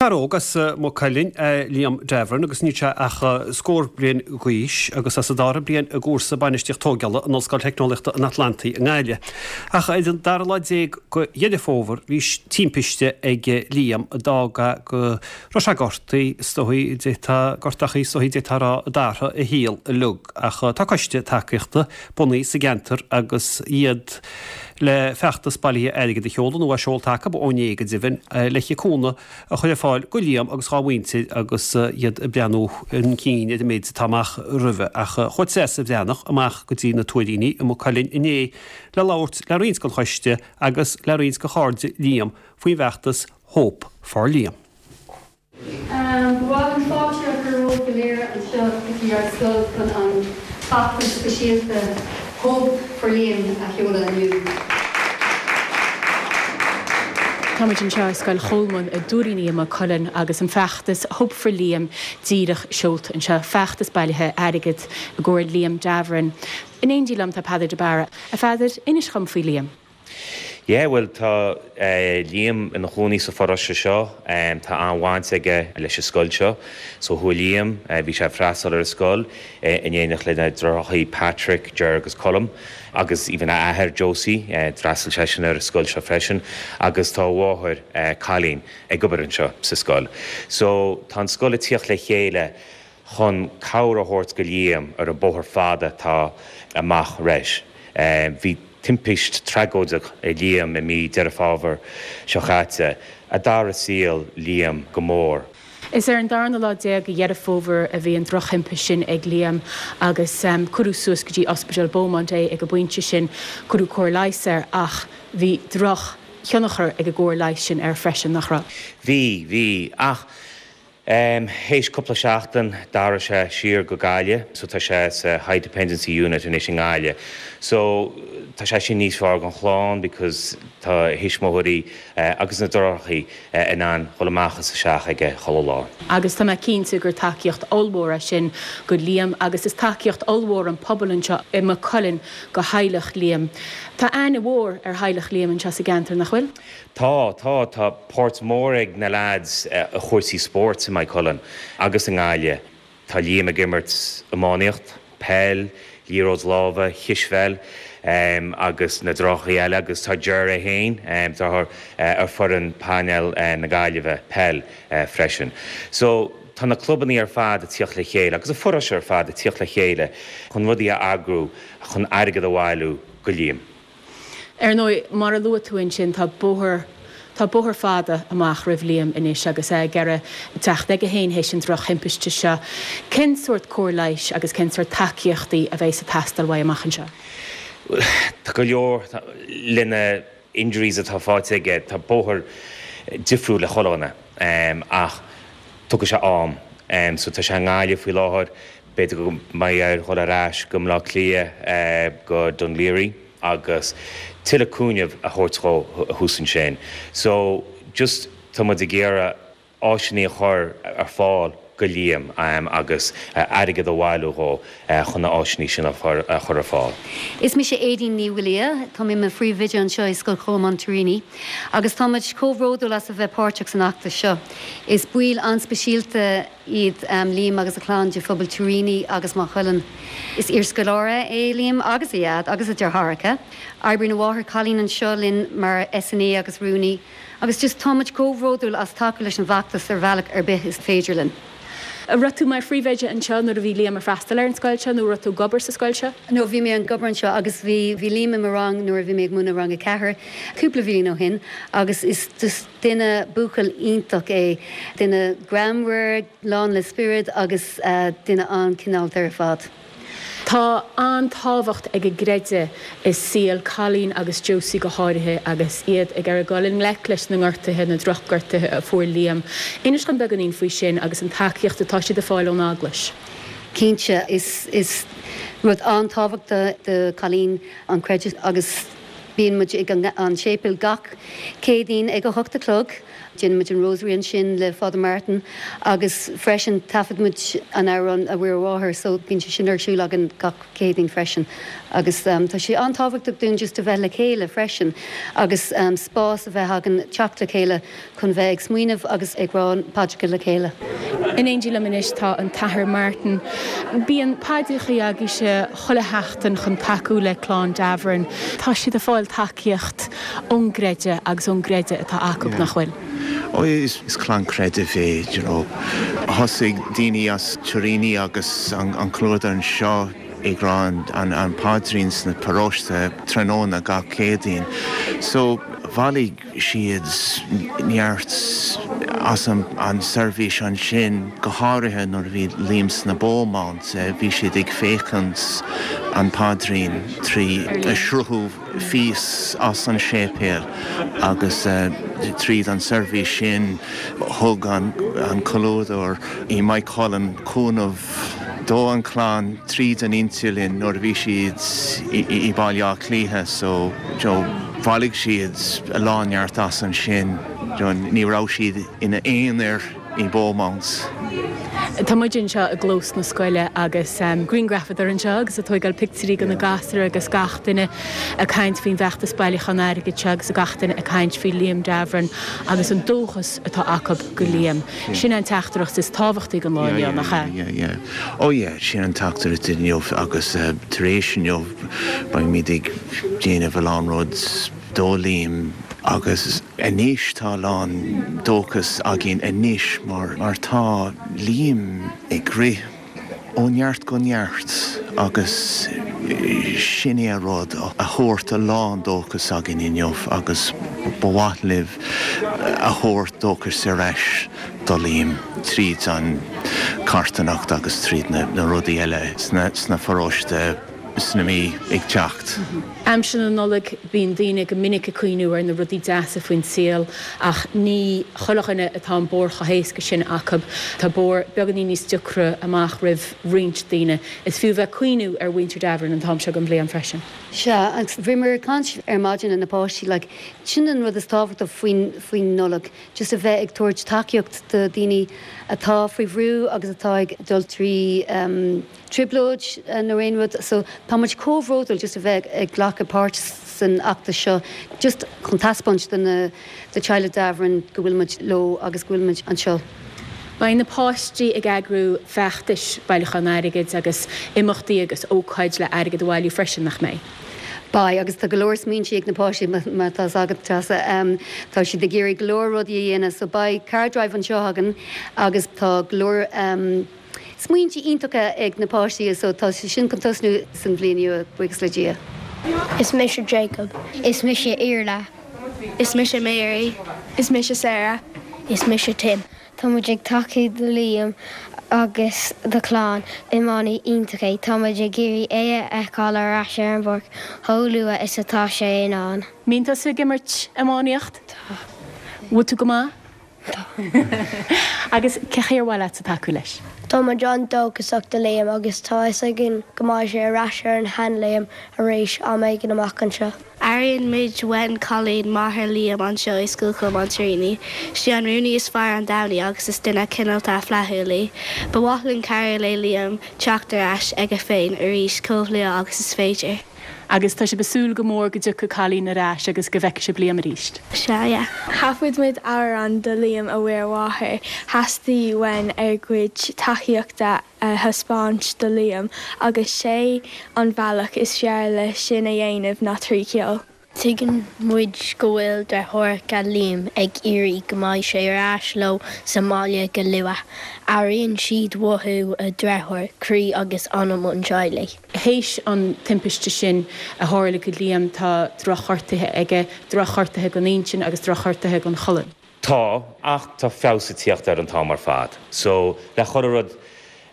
Fear óg as Maigh Cuilinn é Liam Davoren agus níl sé ach scór bliain d'aois agus é sa dara bliain i gcúrsa Bainistíocht Tógála in Ollscoil Teicneolaíochta an Atlantaigh i nGaillimh. Ach ar an dara lá déag de Dheireadh Fómhair bhí timpiste ag Liam a d'fhág go raibh sé gortaithe, is dóigh, d'fhéadfá, gortachaí is dóigh d'fhéadfá a rá a d'athraigh a shaol uilig. Ach tá coiste tacaíochta bunaithe sa gceantar agus iad le feachtas bailithe airgid a sheoladh, nó é seolta acu ó inné go deimhin, le cúnamh a chur ar fáil go Liam agus dhá mhuintir agus iad ag breathnú chun cinn ar an méid atá amach roimhe. Ach chuaigh Treasa Bhreathnach amach go dtí na Tuairíní i Maigh Cuilinn inné le labhairt le roinnt den choiste agus le roinnt de chairde Liam faoin bhfeachtas Hope for Liam. Ba mhaith liom fáilte a chur romhaibh go léir anseo go dtí ár scoil chun an feachtas speisialta Hope for Liam a sheoladh inniu. Táimid anseo i Scoil Cholmáin i dTuairíní i Maigh Cuilinn agus an feachtas Hope for Liam díreach seolta anseo, feachtas bailithe airgid i gcomhair Liam Davoren. In éindí liom tá Peadar de Barra. A Pheadair, inis dhom faoi Liam. Yeah, bhuel tá Liam ina chónaí sa pharóiste seo, tá an-bhaint aige leis an scoil seo. So chuaigh Liam, bhí sé ag freastal ar an scoil in éineacht lena dheartháireacha Patrick, Ger agus Colm agus even a athair Josie, d'fhreastail seisean ar an scoil seo freisin agus tá a mháthair Colleen ag obair anseo sa scoil. So tá an scoil ag tíocht le chéile chun cabhair a thabhairt go Liam ar an bóthar fada atá amach roimhe. Bhí timpist tragóideach ag Liam i mí Deireadh Fómhair seo chaite, a d'athraigh saol Liam go mór. Is ar an darna lá déag de Dheireadh Fómhair a bhí an drochthimpist sin ag Liam agus cuireadh suas go dtí Ospidéal Beaumont é ag an bpointe sin. Cuireadh cóir leighis air ach bhí droch thionchar ag an gcóir leighis sin air freisin, nach raibh? Bhí, bhí. Ach Théis cúpla seachtain d'athraigh sé siar go Gaillimh so tá sé sa High Dependency Unit anois i nGaillimh. So tá sé sin níos fearr don chlann because tá a thuismitheoirí agus na deartháireacha in ann dhul amach is isteach aige chuile lá. Agus tá mé cinnte gur tacaíocht ollmhór é sin go Liam agus is tacaíocht ollmhór an pobal anseo i Maigh Cuilinn go theaghlach Liam. Tá aithne mhór ar theaghlach Liam anseo sa gceantar, nach bhfuil? Tá, tá. Tá páirt mhór ag na leaids i chúrsaí spóirt i Maigh Cuilinn agus i nGaillimh. Tá Liam ag imirt iománaíocht, peil, liathróid láimhe, cispheil agus na deartháireacha eile agus tá Ger é féin, deartháir, ar foireann painéil na Gaillimhe, peil, freisin. So, tá na clubannaí ar fad ag tíocht le chéile agus an pharóiste ar fad ag tíocht le chéile chun rudaí a eagrú chun airgead a bhailiú go Liam. Ar ndóigh, mar a luaigh tú ansin, tá bóthar, tá bóthar fada amach roimh Liam anois agus é ag iarraidh teacht aige féin théis an drochthimpiste seo. Cén sórt cóir leighis agus cén sórt tacaíochtaí a bheidh ag teastáil uaidh amach anseo? Tá go leor le na injuries atá faighte aige, tá bóthar difriúil ag chuile dhuine ach tógfaidh sé am. So tá sé i nGaillimh faoi láthair, B'fhéidir go mbeidh air dhul ar ais go Baile Átha Cliath, go Dún Laoghaire agus tuilleadh cúnaimh a thabhairt dhó thuas ansin. So, just tá muid ag iarraidh áiseanna a chur ar fáil go Liam agus airgead a bhailiú dhó chun na áiseanna sin a chur ar fáil. Is mise Aedín Ní Mhaolaodha, tá mé i mo phríomhoide anseo i Scoil Cholmáin Tuairíní agus tá muid chomh bhródúil as a bheith páirteach san fheachtas seo. Is baill an-speisialta iad Liam agus a chlann de phobal Tuairíní agus Maigh Cuilinn. Is iarscoláire é Liam agus a dhaid agus a deartháireacha. Oibríonn a mháthair Colleen anseo linn mar SNA agus rúnaí agus just tá muid chomh bhródúil as tacú leis an bhfeachtas ar bhealach ar bith is féidir linn. An raibh tú mar phríomhoide anseo nuair a bhí Liam ag freastal ar an scoil seo nó an raibh tú ag obair sa scoil seo? No, bhí mé ag obair anseo agus bhí bhí Liam i mo rang nuair a bhí mé ag múineadh rang 4 cúpla bhliain ó shin agus is just Duine buachaill iontach é. Duine greannmhar, lán le spiorad agus duine an-chineálta ar fad. Tá an-tábhacht ag an gcreideamh i saol Colleen agus Josie go háirithe agus iad ag iarraidh dul i ngleic leis na ngortuithe, na drochghortuithe a fuair Liam. Inis dom beagáinín faoi sin agus an tacaíocht atá siad ag fáil ón Eaglais. Cinnte, is rud an-tábhachtach do Colleen an creideamh agus. Bíonn muid ag an séipéal gach Céadaoin ag a hocht a chlog. Déanann muid an Rosary ansin le Father Martin agus freisin taifead muid an amhrán A Mhuire Mháthair so bíonn sé sin ar siúl againn gach Céadaoin freisin agus tá sé an-tábhachtach dúinn just a bheith le chéile freisin agus spás a bheith againn teacht le chéile chun bheith ag smaoineamh agus ag rá paidreacha le chéile. In éindí liom anois tá an tAthair Martin. Bíonn paidreacha agaibhse chuile sheachtain chun tacú le clann Davoren. Tá siad ag fáil tacaíocht ón gcreideamh agus ón gcreideamh atá acu, nach bhfuil? Ó is clann creidimh é, you know. Thosaigh daoine as Tuiríní agus an comhluadar anseo ag rá an paidrín sna paróiste tráthnóna gach Céadaoin. So bhailigh siad neart as an seirbhís ansin, go háirithe nuair a bhí Liam sna Beaumont, bhí siad ag féachaint an paidrín trí sruthú fís as an séipéal agus tríd an seirbhís sin thug an comhluadar i Maigh Cuilinn cúnamh do an clann tríd an idirlíon nuair a bhí siad i Baile Átha Cliath so bhailigh siad a lán neart as ansin ní raibh siad ina aonar i Beaumont. Tá muid anseo i gclós na scoile agus grianghrafadóir anseo agus ag tóigeáil pictiúirí de na gasúir agus gach duine ag caint faoin bhfeachtas bailiúcháin airgid seo agus gach duine ag caint faoi Liam Davoren agus an dóchas atá acu go Liam. Sin an teachtaireacht is tábhachtaí don lá inniu, nach ea? Yeah, yeah. Oh yeah, sin an teachtaireacht inniu agus tar éis inniu beimid ag déanamh a lán rud do Liam agus anois tá a lán dóchas againn anois mar mar tá Liam ag rith ó neart go neart agus sin é a rud a thabhairt a lán dóchas againn inniu agus ba mhaith libh a thabhairt dóchas ar ais do Liam tríd an carthanacht agus tríd na rudaí eile sna pharóiste. sna mí ag teacht. Aimsir na Nollag, bíonn daoine go minic ag cuimhniú ar na rudaí deasa faoin saol ach ní chuile dhuine atá an bóthar chomh héasca sin acu. Tá bóthar beagáinín níos deacra amach roimh roinnt daoine. Is fiú bheith ag cuimhniú ar mhuintir Davoren an t-am seo den bhliain freisin. Sea, agus bhíomar ag caint ar maidin le na páistí, like, sin an rud is tábhachtaí faoin, faoin Nollaig, just a bheith ag tabhairt tacaíocht do daoine atá faoi bhrú agus atá ag dul trí, em, trioblóid nó aon rud so tá muid chomh bhródúil just a bheith ag glacadh páirt san fheachtas seo just chun taispeáint do na do teaghlaigh Davoren go bhfuil muid leo agus go bhfuil muid anseo. Beidh na páistí ag eagrú feachtais bailiúchán airgid agus imeachtaí agus ócáid le airgead a bhailiú freisin, nach mbeidh? Beidh, agus tá go leor smaointe ag na páistí mar tá 's agat Treasa. Tá siad ag iarraidh go leor rudaí a dhéanamh so beidh car drive anseo againn agus tá go leor. Smaointe iontacha ag na páistí so tá sé sin chun tosnú san bhliain nua, buíochas le Dia. Is mise Jacob. Is mise Iarla. Is mise Mary. Is mise Sarah. Is mise Tim. Tá muid ag tacú do Liam agus do chlann. Iománaí iontach é. Tá muid ag iarraidh é a fheiceáil ar ais ar an bpáirc chomh luath is atá sé in ann. Mbíonn tusa ag imirt iománaíocht? Tá. Bhfuil tú go maith? Tá. Agus cé chaoi ar mhaith leatsa tacú leis? Tá muid an-dóchasach do Liam agus tá fhios againn go mbeidh sé ar ais ar an shean-Liam arís am éigin amach anseo. Airíonn muid uainn Colleen, máthair Liam, anseo i Scoil Cholmáin Tuiríní. Sí an rúnaí is fearr an domhan í agus is duine cineálta flaithiúil í. Ba mhaith linn cabhrú le Liam teacht ar ais aige féin arís chomh luath agus is féidir. Agus tá sibh ag súil go mór go dtiocfaidh Colleen ar ais agus go bhfeicfidh sibh Liam arís? Sea, yeah. Thaifead muid amhrán do Liam a Mhuire Mháthair. Theastaigh uainn ár gcuid tacaíochta a thaispeáint do Liam agus sé an bhealach is fearr le sin a dhéanamh ná trí cheol. Tuigeann muid go bhfuil deartháireacha Liam ag iarraidh go mbeidh sé ar ais leo sa mbaile go luath. Airíonn siad uathu a dheartháir, croí agus anam an teaghlaigh. Théis an timpiste sin a tharla go Liam tá drochghortuithe aige, drochghortuithe don intinn agus drochghortuithe don cholainn. Tá, ach tá feabhas ag tíocht air an t-am ar fad. So, le chuile rud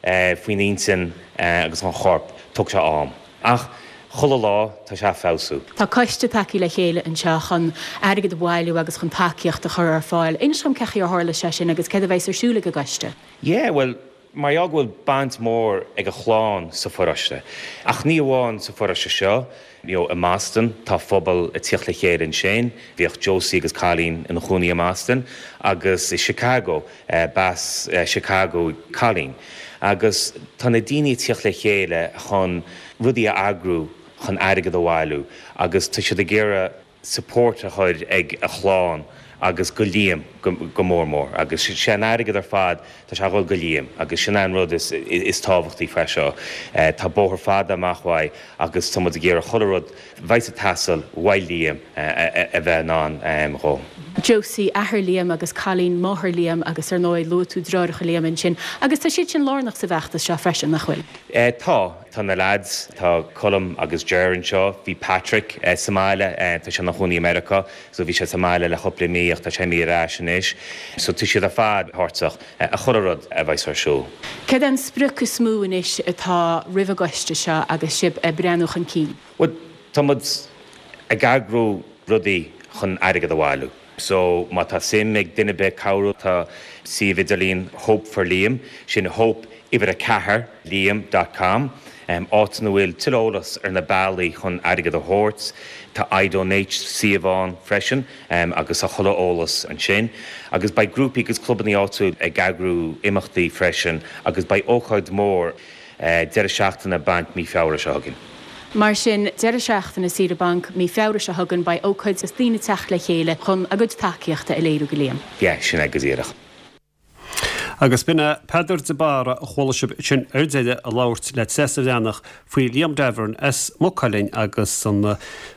faoin intinn agus an chorp, tógfaidh sé am. Ach chuile lá, tá sé ag feabhsú. Tá coiste tagtha le chéile anseo chun airgead a bhailiú agus chun tacaíocht a chur ar fáil. Inis dom cé chaoi ar tharla sé sin agus céard a bheas ar siúl ag an gcoiste? Yeah, bhuel, Mar gheall go bhfuil baint mhór ag a chlann sa pharóiste, ach ní amháin sa pharóiste seo, you know i mBoston, tá phobal ag tíocht le chéile ansin, bhíodh Josie agus Colleen ina chónaí i mBoston, agus i Chicago, b'as Chicago Colleen. Agus tá na daoine ag tíocht le chéile chun rudaí a eagrú chun airgead a bhailiú agus tá siad ag iarraidh support a chur ag a chlann agus go Liam go mór mór agus sé an airgead ar fad tá sé a dhul go Liam agus sin é an rud is is tábhachtaí faoi seo. Tá bóthar fada amach uaidh agus tá muid ag iarraidh chuile rud bheidh ag teastáil uaidh Liam a bheith in ann dhó. Josie, athair Liam agus Colleen, máthair Liam agus ar ndóigh luaigh tú deartháireacha Liam ansin agus tá siad sin lárnach sa bhfeachtas seo freisin, nach bhfuil? Tá. Tá na leaids, tá Colm agus Ger anseo, bhí Patrick sa mbaile, tá sé ina chónaí i Meiriceá, so bhí sé sa mbaile le chúpla mí ach tá sé imithe ar ais anois. So tá siad ar fad páirteach i chuile rud a bheas ar siúl. Céard é an sprioc is mó anois atá roimh an gcoiste seo agus sibh ag breathnú chun cinn? Bhuel, tá muid ag eagrú rudaí chun airgead a bhailiú. So, má tá suim ag duine ar bith cabhrú, tá suíomh idirlín Hope for Liam, sin hope uimhir a 4 Liam dot com, áit ina bhfuil tuilleadh eolas ar na bealaí chun airgead a thabhairt. Tá iDonate suíomh ann freisin agus tá chuile eolas ansin. Agus beidh grúpaí agus clubanna áitiúil ag eagrú imeachtaí freisin agus beidh ócáid mhór Deireadh seachtaine bainc mí Feabhra seo chugainn. Mar sin, deireadh seachtaine saoire bainc mí Feabhra seo chugainn, beidh ócáid agus daoine ag teacht le chéile chun a gcuid tacaíochta a léiriú go Liam. Yeah, sin é go díreach. Agus b'in é Peadar de Barra a chuala sibh ansin ar deireadh ag labhairt le Treasa Bhreathnach faoi Liam Davern as Maigh Cuilinn agus an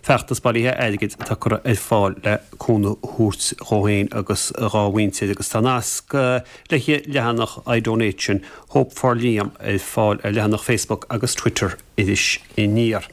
feachtas bailithe airgid atá curtha ar fáil le cúnamh a thabhairt dhó féin agus dhá mhuintir agus tá nasc le leathanach iDonate sin Hope for Liam ar fáil ar leathanach Facebook agus Twitter Iris Aniar.